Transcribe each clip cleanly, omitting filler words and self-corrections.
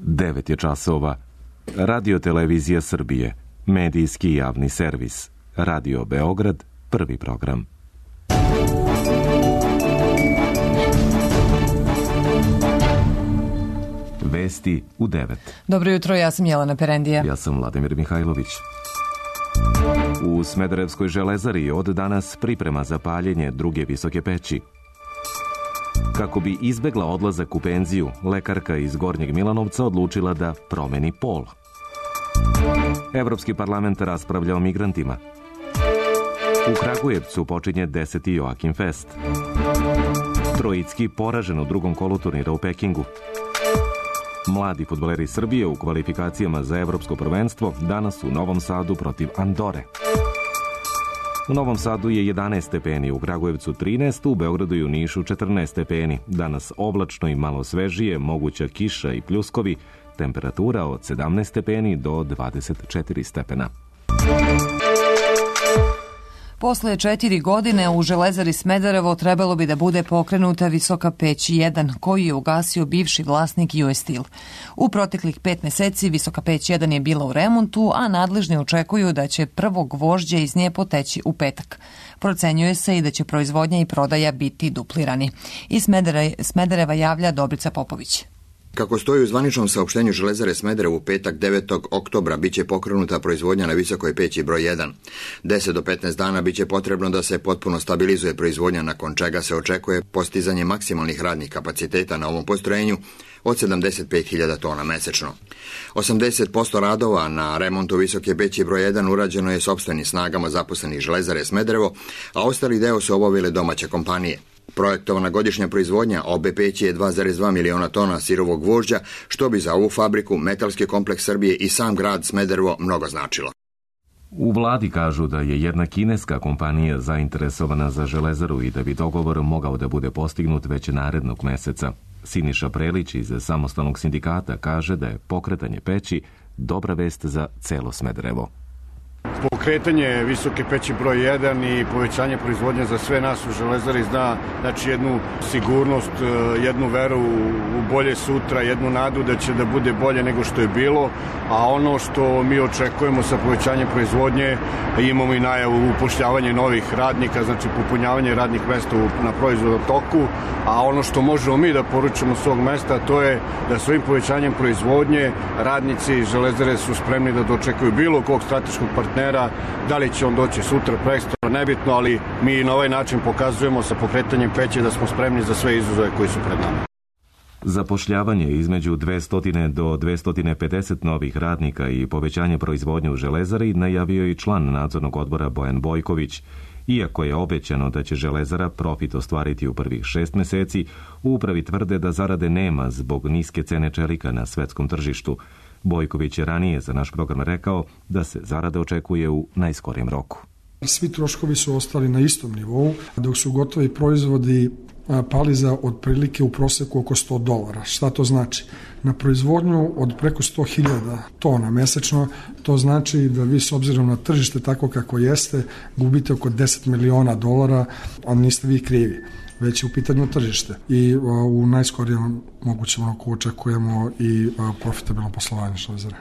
9 je časova. Radio Televizija Srbije, medijski javni servis. Radio Beograd, prvi program. Vesti u 9. Dobro jutro, ja sam Jelena Perendija. Ja sam Vladimir Mihajlović. U Smederevskoj železari od danas priprema za paljenje druge visoke peći. Kako bi izbegla odlazak u penziju, lekarka iz Gornjeg Milanovca odlučila da promeni pol. Evropski parlament raspravlja o migrantima. U Kragujevcu počinje 10. Joakim Fest. Trojicki poražen u drugom kolu turnira u Pekingu. Mladi fudbaleri Srbije u kvalifikacijama za evropsko prvenstvo danas u Novom Sadu protiv Andore. U Novom Sadu je 11 stepeni, u Kragujevcu 13, u Beogradu i u Nišu 14 stepeni. Danas oblačno i malo svežije, moguća kiša i pljuskovi, temperatura od 17 stepeni do 24 stepena. Posle 4 godine u železari Smederevo trebalo bi da bude pokrenuta visoka peć 1, koju je ugasio bivši vlasnik US Steel. U proteklih 5 meseci visoka peć 1 je bila u remontu, a nadležni očekuju da će prvo gvožđe iz nje poteći u petak. Procenjuje se i da će proizvodnja i prodaja biti duplirani. Iz Smedereva javlja Dobrica Popović. Kako stoji u zvaničnom saopštenju Železare Smederevo, u petak 9. oktobra biće pokrenuta proizvodnja na visokoj peći broj 1. 10 do 15 dana biće potrebno da se potpuno stabilizuje proizvodnja, nakon čega se očekuje postizanje maksimalnih radnih kapaciteta na ovom postrojenju od 75.000 tona mesečno. 80% radova na remontu visoke peći broj 1 urađeno je sopstvenim snagama zaposlenih Železare Smederevo, a ostali deo su obavile domaće kompanije. Projektovana godišnja proizvodnja obe peći je 2,2 miliona tona sirovog gvožđa, što bi za ovu fabriku, Metalski kompleks Srbije i sam grad Smederevo mnogo značilo. U vladi kažu da je jedna kineska kompanija zainteresovana za železaru i da bi dogovor mogao da bude postignut već narednog meseca. Siniša Prelić iz Samostalnog sindikata kaže da je pokretanje peći dobra vest za celo Smederevo. Pokretanje visoke peći broj 1 i povećanje proizvodnje za sve nas u železari znači jednu sigurnost, jednu veru u bolje sutra, jednu nadu da će da bude bolje nego što je bilo, a ono što mi očekujemo sa povećanjem proizvodnje, imamo i najavu upošljavanje novih radnika, znači popunjavanje radnih mesta na proizvodnom toku, a ono što možemo mi da poručimo s ovog mesta, to je da svojim povećanjem proizvodnje radnici železare su spremni da dočekuju bilo kog strateškog partnera, da li će on doći sutra, prekstra, nebitno, ali mi na ovaj način pokazujemo sa pokretanjem peći da smo spremni za sve izazove koji su pred nama. Zapošljavanje između 200 do 250 novih radnika i povećanje proizvodnje u železari najavio i član nadzornog odbora Bojan Bojković. Iako je obećano da će železara profit ostvariti u prvih 6 meseci, u upravi tvrde da zarade nema zbog niske cene čelika na svetskom tržištu. Bojković je ranije za naš program rekao da se zarada očekuje u najskorijem roku. Svi troškovi su ostali na istom nivou, dok su gotovi proizvodi pali za otprilike u proseku oko $100. Šta to znači? Na proizvodnju od preko 100.000 tona mesečno, to znači da vi s obzirom na tržište tako kako jeste, gubite oko $10 miliona, a niste vi krivi, već je u pitanju tržište. I u najskorijem mogućem roku očekujemo i profitabilno poslovanje železare.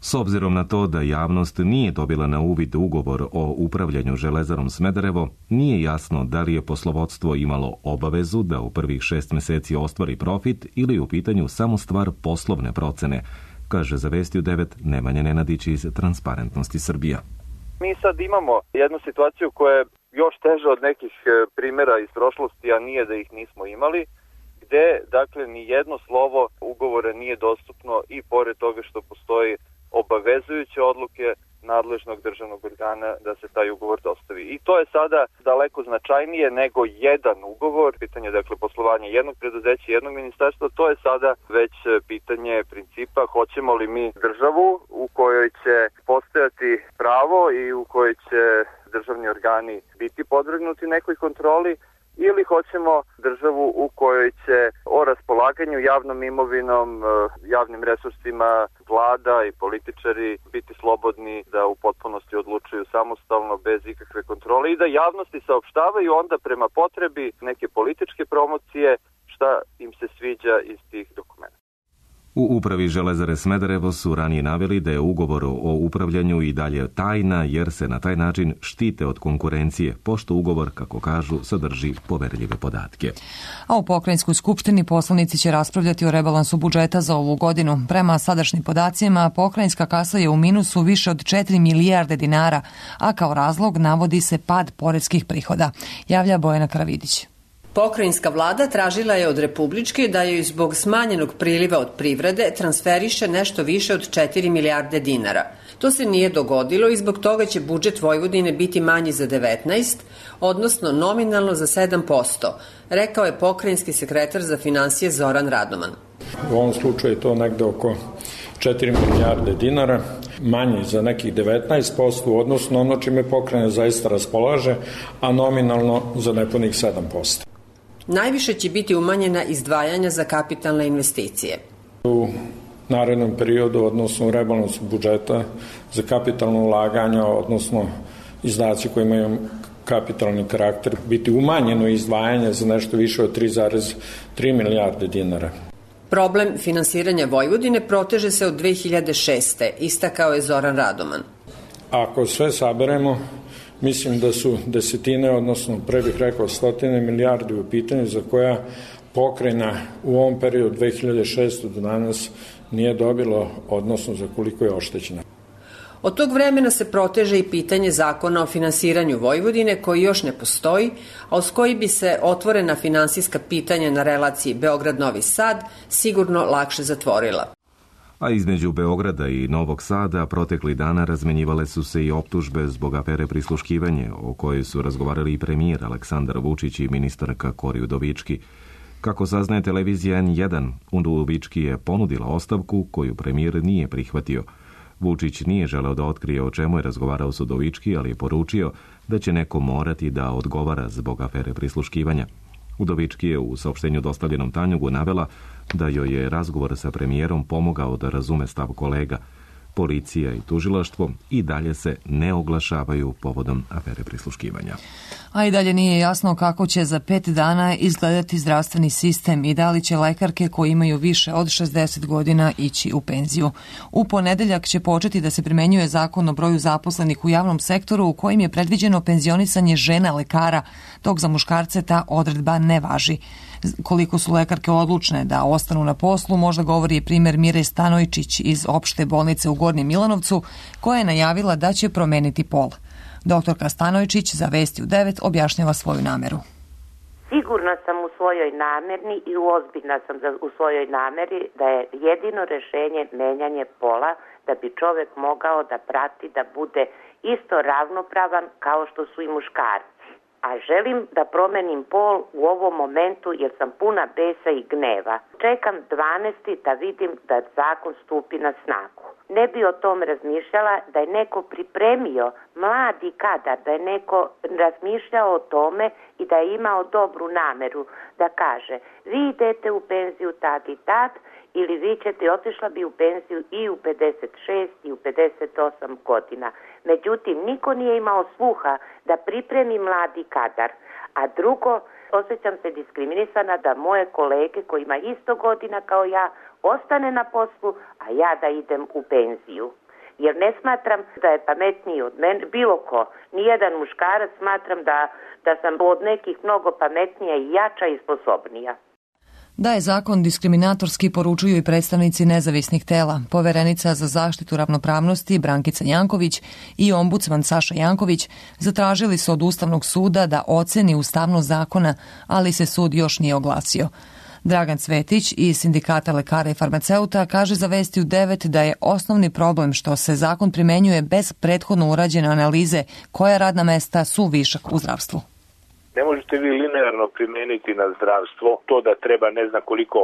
S obzirom na to da javnost nije dobila na uvid ugovor o upravljanju železarom Smederevo, nije jasno da li je poslovodstvo imalo obavezu da u prvih 6 meseci ostvari profit ili je u pitanju samo stvar poslovne procene, kaže za Vesti u 9 Nemanja Nenadić iz Transparentnosti Srbija. Mi sad imamo jednu situaciju koja je još teža od nekih primjera iz prošlosti, a nije da ih nismo imali, gde, dakle, ni jedno slovo ugovora nije dostupno i pored toga što postoji obavezujuće odluke nadležnog državnog organa da se taj ugovor dostavi. I to je sada daleko značajnije nego jedan ugovor, pitanje dakle poslovanja jednog preduzeća, jednog ministarstva, to je sada već pitanje principa hoćemo li mi državu u kojoj će postojati pravo i u kojoj će državni organi biti podvrgnuti nekoj kontroli, ili hoćemo državu u kojoj će o raspolaganju javnom imovinom, javnim resursima vlada i političari biti slobodni da u potpunosti odlučuju samostalno, bez ikakve kontrole i da javnosti saopštavaju onda prema potrebi neke političke promocije šta im se sviđa iz tih dokumenta. U upravi Železare Smederevo su ranije naveli da je ugovor o upravljanju i dalje tajna jer se na taj način štite od konkurencije, pošto ugovor, kako kažu, sadrži poverljive podatke. A u Pokrajinskoj skupštini poslanici će raspravljati o rebalansu budžeta za ovu godinu. Prema sadašnjim podacima, pokrajinska kasa je u minusu više od 4 milijarde dinara, a kao razlog navodi se pad poreskih prihoda. Javlja Bojana Karavidić. Pokrajinska vlada tražila je od Republičke da joj zbog smanjenog priliva od privrede transferiše nešto više od 4 milijarde dinara. To se nije dogodilo i zbog toga će budžet Vojvodine biti manji za 19, odnosno nominalno za 7%, rekao je pokrajinski sekretar za finansije Zoran Radoman. U ovom slučaju je to negde oko 4 milijarde dinara, manji za nekih 19%, odnosno ono čime pokrajina zaista raspolaže, a nominalno za nepunih 7%. Najviše će biti umanjena izdvajanja za kapitalne investicije. U narednom periodu, odnosno u rebalansu budžeta za kapitalno ulaganje, odnosno izdaci koji imaju kapitalni karakter, biti umanjeno izdvajanje za nešto više od 3,3 milijarde dinara. Problem finansiranja Vojvodine proteže se od 2006. istakao je Zoran Radoman. Ako sve saberemo, mislim da su desetine, odnosno pre bih rekao 100 milijardi u pitanju za koja pokrajina u ovom periodu 2006. do danas nije dobilo, odnosno za koliko je oštećena. Od tog vremena se proteže i pitanje zakona o finansiranju Vojvodine koji još ne postoji, a uz koji bi se otvorena finansijska pitanja na relaciji Beograd-Novi Sad sigurno lakše zatvorila. A između Beograda i Novog Sada protekli dana razmenjivale su se i optužbe zbog afere prisluškivanje, o kojoj su razgovarali i premijer Aleksandar Vučić i ministarka Kori Udovički. Kako saznaje televizija N1, Udovički je ponudila ostavku koju premijer nije prihvatio. Vučić nije želeo da otkrije o čemu je razgovarao s Udovički, ali je poručio da će neko morati da odgovara zbog afere prisluškivanja. Udovički je u saopštenju dostavljenom Tanjugu navela da joj je razgovor sa premijerom pomogao da razume stav kolega. Policija i tužilaštvo i dalje se ne oglašavaju povodom afere prisluškivanja. A i dalje nije jasno kako će za 5 dana izgledati zdravstveni sistem i da li će lekarke koji imaju više od 60 godina ići u penziju. U ponedeljak će početi da se primenjuje zakon o broju zaposlenih u javnom sektoru u kojim je predviđeno penzionisanje žena lekara, dok za muškarce ta odredba ne važi. Koliko su lekarke odlučne da ostanu na poslu, možda govori i primer Mire Stanojčić iz opšte bolnice u Gornjem Milanovcu, koja je najavila da će promeniti pol. Doktorka Stanojčić za Vesti u 9 objašnjava svoju nameru. Sigurna sam u svojoj namerni i ozbiljna sam u svojoj nameri da je jedino rešenje menjanje pola da bi čovek mogao da prati da bude isto ravnopravan kao što su i muškarci. A želim da promenim pol u ovom momentu jer sam puna besa i gneva. Čekam 12. da vidim da zakon stupi na snagu. Ne bi o tom razmišljala da je neko pripremio mladi kadar, da je neko razmišljao o tome i da je imao dobru nameru da kaže vi idete u penziju tad i tad ili vi ćete, otišla bi u penziju i u 56 i u 58 godina. Međutim, niko nije imao sluha da pripremi mladi kadar. A drugo, osjećam se diskriminisana da moje kolege koji ima isto godina kao ja ostane na poslu, a ja da idem u penziju. Jer ne smatram da je pametniji od mene, bilo ko, nijedan muškarac, smatram da sam od nekih mnogo pametnija i jača i sposobnija. Da je zakon diskriminatorski poručuju i predstavnici nezavisnih tela. Poverenica za zaštitu ravnopravnosti Brankica Janković i ombudsman Saša Janković zatražili su od Ustavnog suda da oceni ustavnost zakona, ali se sud još nije oglasio. Dragan Cvetić iz Sindikata lekara i farmaceuta kaže za Vesti u 9 da je osnovni problem što se zakon primenjuje bez prethodno urađene analize koja radna mesta su višak u zdravstvu. Ne možete vi linearno primeniti na zdravstvo to da treba ne znam koliko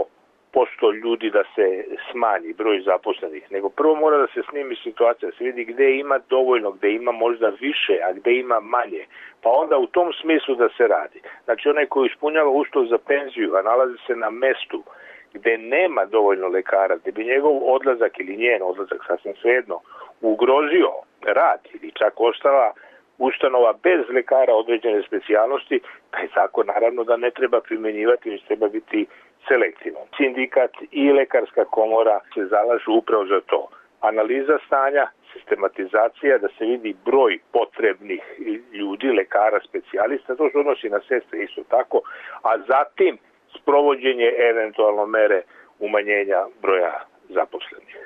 posto ljudi da se smanji broj zaposlenih, nego prvo mora da se snimi situacija, da se vidi gde ima dovoljno, gde ima možda više, a gde ima manje, pa onda u tom smislu da se radi. Znači onaj koji ispunjava uslov za penziju, a nalazi se na mestu gde nema dovoljno lekara, gde bi njegov odlazak ili njen odlazak sasvim svejedno ugrozio rad ili čak ostala ustanova bez lekara određene specijalnosti, taj zakon naravno da ne treba primenjivati, već treba biti selektivno. Sindikat i lekarska komora se zalažu upravo za to. Analiza stanja, sistematizacija, da se vidi broj potrebnih ljudi, lekara, specijalista, to se odnosi na sestre isto tako, a zatim sprovođenje eventualno mere umanjenja broja zaposlenih.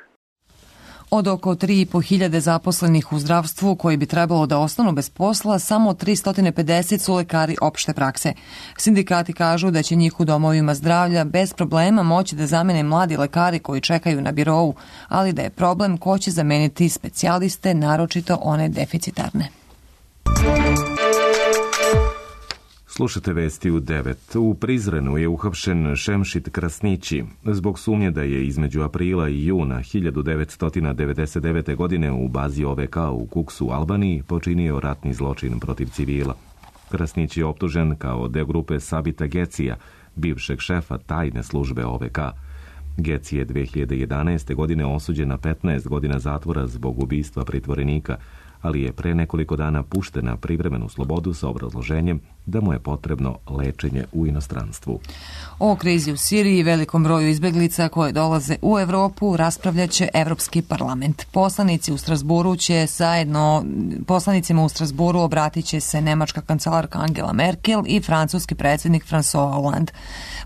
Od oko 3.500 zaposlenih u zdravstvu koji bi trebalo da ostanu bez posla, samo 350 su lekari opšte prakse. Sindikati kažu da će njih u domovima zdravlja bez problema moći da zamene mladi lekari koji čekaju na birou, ali da je problem ko će zameniti specijaliste, naročito one deficitarne. Slušate vesti u 9. U Prizrenu je uhapšen Šemšit Krasnići zbog sumnje da je između aprila i juna 1999. godine u bazi OVK u Kuksu, Albaniji, počinio ratni zločin protiv civila. Krasnić je optužen kao deo grupe Sabita Gecija, bivšeg šefa tajne službe OVK. Geci je 2011. godine osuđen na 15 godina zatvora zbog ubistva pritvorenika, ali je pre nekoliko dana pušten na privremenu slobodu sa obrazloženjem da mu je potrebno lečenje u inostranstvu. O krizi u Siriji i velikom broju izbeglica koje dolaze u Evropu raspravljaće Evropski parlament. Poslanicima u Strasburu obratit će se nemačka kancelarka Angela Merkel i francuski predsjednik François Hollande.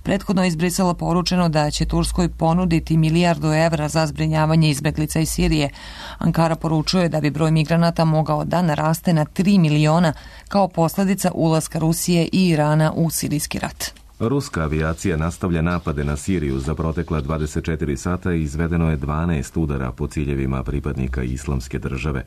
Prethodno je iz Brisela poručeno da će Turskoj ponuditi €1.000.000.000 za zbrinjavanje izbeglica iz Sirije. Ankara poručuje da bi broj migranata mogao da naraste na 3 miliona kao posljedica ulaska Rusije i Irana u sirijski rat. Ruska avijacija nastavlja napade na Siriju. Za protekla 24 sata izvedeno je 12 udara po ciljevima pripadnika Islamske države.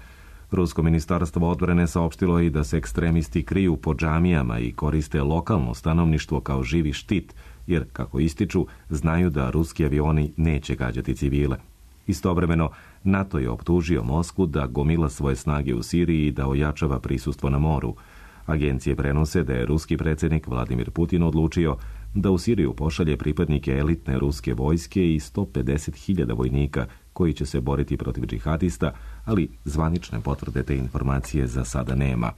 Rusko ministarstvo odbrane saopštilo i da se ekstremisti kriju po džamijama i koriste lokalno stanovništvo kao živi štit, jer, kako ističu, znaju da ruski avioni neće gađati civile. Istovremeno, NATO je optužio Moskvu da gomila svoje snage u Siriji i da ojačava prisustvo na moru. Agencije prenose da je ruski predsjednik Vladimir Putin odlučio da u Siriju pošalje pripadnike elitne ruske vojske i 150.000 vojnika koji će se boriti protiv džihadista, ali zvanične potvrde te informacije za sada nema.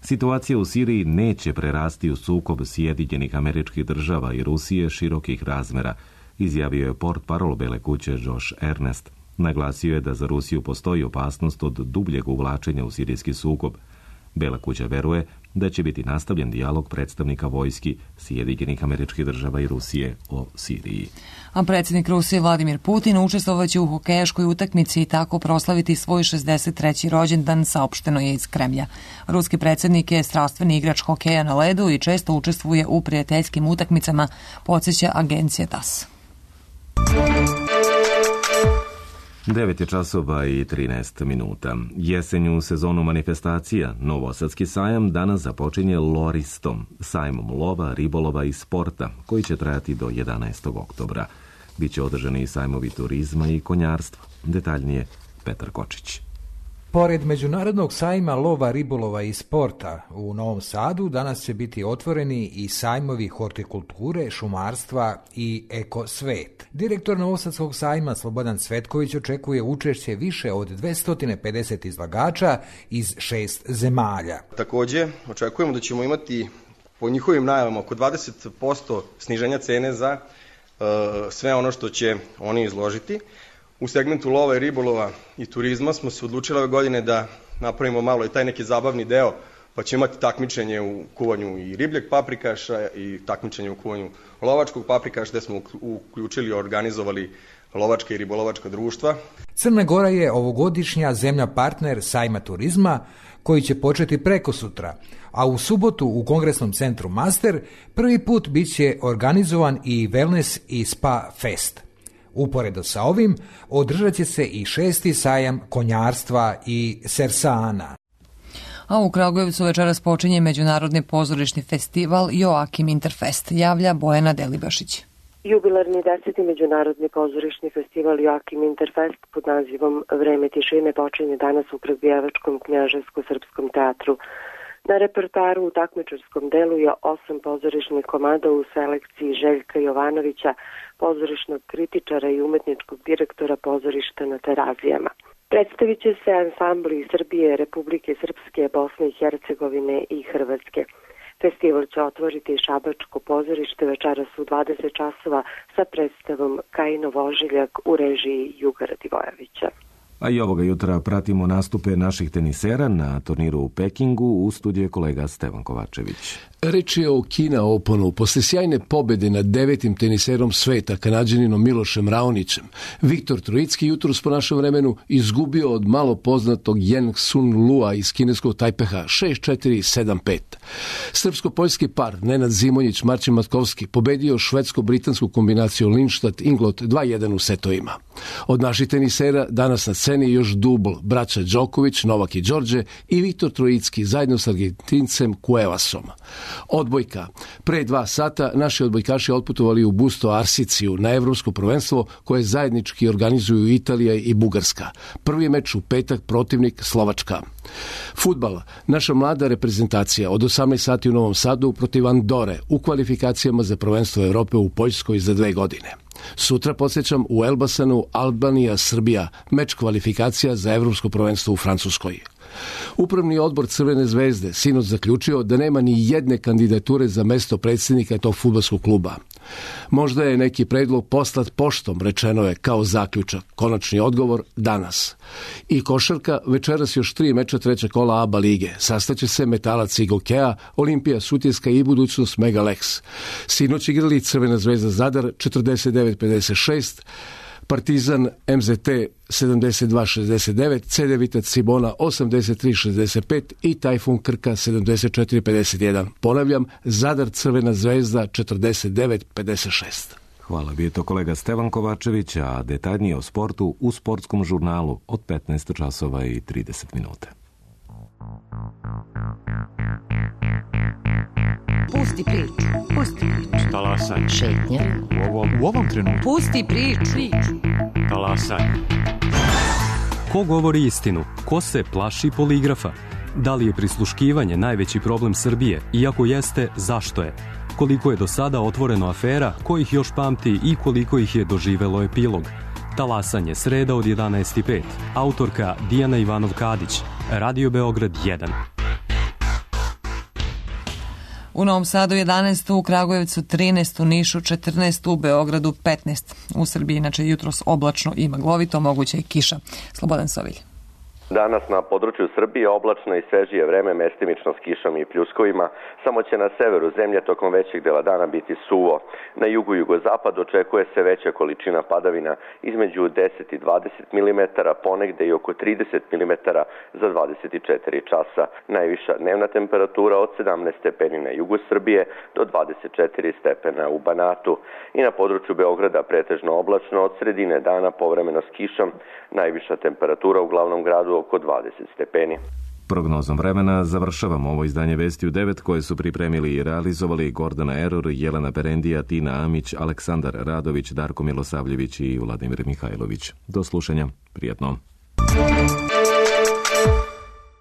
Situacija u Siriji neće prerasti u sukob Sjedinjenih Američkih Država i Rusije širokih razmera, izjavio je portparol Bele kuće Josh Earnest. Naglasio je da za Rusiju postoji opasnost od dubljeg uvlačenja u sirijski sukob. Bela kuća veruje da će biti nastavljen dijalog predstavnika vojski Sjedinjenih Američkih Država i Rusije o Siriji. A predsjednik Rusije Vladimir Putin učestvovaće u hokejaškoj utakmici i tako proslaviti svoj 63. rođendan, saopšteno je iz Kremlja. Ruski predsjednik je strastveni igrač hokeja na ledu i često učestvuje u prijateljskim utakmicama, podsjeća agencija TASS. 9 je časova i 13 minuta. Jesenju sezonu manifestacija Novosadski sajam danas započinje Loristom, sajmom lova, ribolova i sporta, koji će trajati do 11. oktobra. Biće održani i sajmovi turizma i konjarstva. Detaljnije Petar Kočić. Pored Međunarodnog sajma lova, ribolova i sporta u Novom Sadu danas će biti otvoreni i sajmovi hortikulture, šumarstva i ekosvet. Direktor Novosadskog sajma Slobodan Cvetković očekuje učešće više od 250 izlagača iz 6 zemalja. Također očekujemo da ćemo imati po njihovim najavama oko 20% sniženja cene za sve ono što će oni izložiti. U segmentu lova i ribolova i turizma smo se odlučili ove godine da napravimo malo i taj neki zabavni deo, pa ćemo imati takmičenje u kuvanju i ribljeg paprikaša i takmičenje u kuvanju lovačkog paprikaša, gde smo uključili i organizovali lovačka i ribolovačka društva. Crna Gora je ovogodišnja zemlja partner sajma turizma koji će početi prekosutra, a u subotu u Kongresnom centru Master prvi put bit će organizovan i Wellness i Spa Fest. Uporedo sa ovim održat će se i 6. sajam konjarstva i sersana. A u Kragujevcu večeras počinje Međunarodni pozorišni festival Joakim Interfest, javlja Bojana Delibašić. Jubilarni 10. Međunarodni pozorišni festival Joakim Interfest pod nazivom Vreme tišine počinje danas u Kragujevačkom knjaževsko-srpskom teatru. Na repertoaru u takmičarskom delu je 8 pozorišnih komada u selekciji Željka Jovanovića, pozorišnog kritičara i umetničkog direktora pozorišta na Terazijama. Predstavit će se ansambli iz Srbije, Republike Srpske, Bosne i Hercegovine i Hrvatske. Festival će otvoriti Šabačko pozorište večeras u 20 časova sa predstavom Kajinov ožiljak u režiji Juga Radivojevića. A i ovoga jutra pratimo nastupe naših tenisera na turniru u Pekingu. U studiju je kolega Stevan Kovačević. Reč je o Kina Openu. Posle sjajne pobede nad 9. teniserom sveta, Kanađaninom Milošem Raonićem, Viktor Trojicki jutros po našem vremenu izgubio od malo poznatog Yen Sun Lua iz kineskog Tajpeha 6-4, 7-5. Srpsko-poljski par Nenad Zimonjić, Marcin Matkovski pobedio švedsko-britansku kombinaciju Lindstad-Inglot 2-1 u setovima. Od naših tenisera danas na sceni još dubl braća Đoković, Novak i Đorđe i Viktor Trojicki zajedno s Argentincem Cuevasom. Odbojka. Pre 2 sata naši odbojkaši otputovali u Busto Arsiciju na evropsko prvenstvo koje zajednički organizuju Italija i Bugarska. Prvi meč u petak, protivnik Slovačka. Fudbal. Naša mlada reprezentacija od 18 sati u Novom Sadu protiv Andore u kvalifikacijama za prvenstvo Evrope u Poljskoj za 2 godine. Sutra, podsjećam, u Elbasanu Albanija-Srbija, meč kvalifikacija za evropsko prvenstvo u Francuskoj. Upravni odbor Crvene zvezde sinoć zaključio da nema ni jedne kandidature za mesto predsjednika tog fudbalskog kluba. Možda je neki predlog poslat poštom, rečeno je kao zaključak. Konačni odgovor danas. I košarka, večeras još 3 meča trećeg kola ABA lige. Sastaće se Metalac i Gokea, Olimpija Sutjeska i budućnost Megalex. Sinoć igrali Crvena zvezda Zadar 49-56, Partizan MZT 72-69, CD Vitac Cibona 83-65 i Tajfun Krka 74-51. Ponavljam, Zadar Crvena zvezda 49-56. Hvala, bio je to kolega Stevan Kovačević, a detaljnije o sportu u sportskom žurnalu od 15 časova i 30 minuta. Pusti priču. Pusti priču. Talasaj. Šetnja. U ovom trenutku. Pusti priču. Talasaj. Ko govori istinu? Ko se plaši poligrafa? Da li je prisluškivanje najveći problem Srbije? Iako jeste, zašto je? Koliko je do sada otvoreno afera, ko ih još pamti i koliko ih je doživelo epilog? Talasanje, sreda od 11:05. Autorka Dijana Ivanov-Kadić. Radio Beograd 1. U Novom Sadu 11, u Kragujevcu 13, u Nišu 14, u Beogradu 15. U Srbiji inače jutros oblačno i maglovito, moguća je kiša. Slobodan Sovilj. Danas na području Srbije oblačno i svežije vreme, mestimično s kišom i pljuskovima, samo će na severu zemlje tokom većeg dela dana biti suvo. Na jugu i jugozapad očekuje se veća količina padavina između 10 i 20 mm, ponegde i oko 30 mm za 24 časa. Najviša dnevna temperatura od 17 stepeni na jugu Srbije do 24 stepena u Banatu. I na području Beograda pretežno oblačno, od sredine dana povremeno s kišom, najviša temperatura u glavnom gradu oko 20 stepeni. Prognozom vremena završavamo ovo izdanje Vesti u 9 koje su pripremili i realizovali Gordana Eror, Jelena Perendija, Tina Amić, Aleksandar Radović, Darko Milosavljević i Vladimir Mihajlović. Do slušanja. Prijetno.